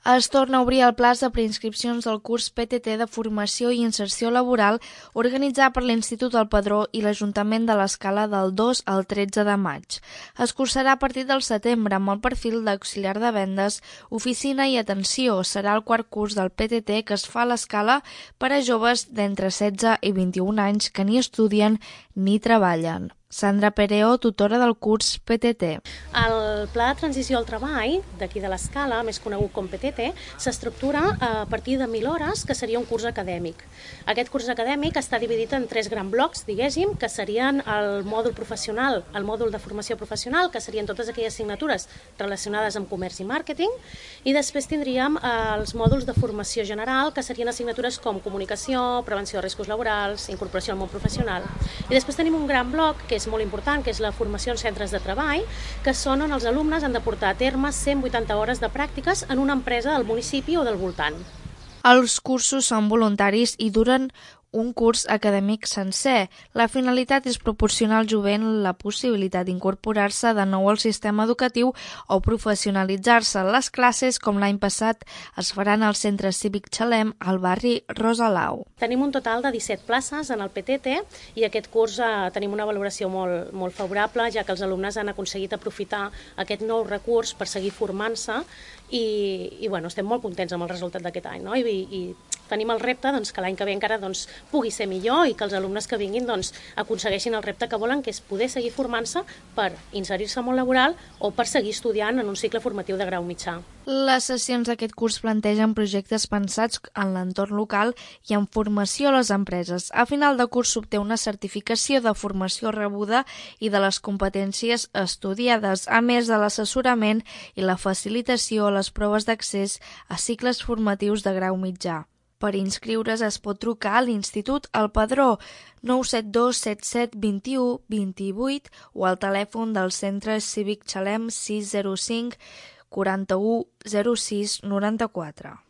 Es torna a obrir el plaç de preinscripcions del curs PTT de Formació i Inserció Laboral organitzat per l'Institut El Padró i l'Ajuntament de l'Escala del 2 al 13 de maig. Es cursarà a partir del setembre amb el perfil d'auxiliar de vendes, oficina i atenció. Serà el quart curs del PTT que es fa a l'Escala per a joves d'entre 16 i 21 anys que ni estudien ni treballen. Sandra Pereo, tutora del curs PTT. El Pla de Transició al Treball d'aquí de l'Escala, més conegut com PTT, s'estructura a partir de 1.000 hores, que seria un curs acadèmic. Aquest curs acadèmic està dividit en 3 grans blocs, diguéssim, que serien el mòdul professional, el mòdul de formació professional, que serien totes aquelles assignatures relacionades amb comerç i màrqueting, i després tindríem els mòduls de formació general, que serien assignatures com comunicació, prevenció de riscos laborals, incorporació al món professional. I després tenim un gran bloc, que és molt important, que és la formació en centres de treball, que són on els alumnes han de portar a terme 180 hores de pràctiques en una empresa del municipi o del voltant. Els cursos són voluntaris i duren un curs acadèmic sencer. La finalitat és proporcionar al jovent la possibilitat d'incorporar-se de nou al sistema educatiu o professionalitzar-se. Les classes, com l'any passat, es faran al Centre Cívic Xalem, al barri Rosalau. Tenim un total de 17 places en el PTT i aquest curs tenim una valoració molt favorable, ja que els alumnes han aconseguit aprofitar aquest nou recurs per seguir formant-se i estem molt contents amb el resultat d'aquest any, no? I tenim el repte que l'any que ve encara pugui ser millor i que els alumnes que vinguin aconsegueixin el repte que volen, que és poder seguir formant-se per inserir-se al món laboral o per seguir estudiant en un cicle formatiu de grau mitjà. Les sessions d'aquest curs plantegen projectes pensats en l'entorn local i en formació a les empreses. A final de curs s'obté una certificació de formació rebuda i de les competències estudiades, a més de l'assessorament i la facilitació a les proves d'accés a cicles formatius de grau mitjà. Per inscriure's es pot trucar a l'Institut El Padró 972 77 21 28 o al telèfon del Centre Cívic Xalem 605 41 06 94.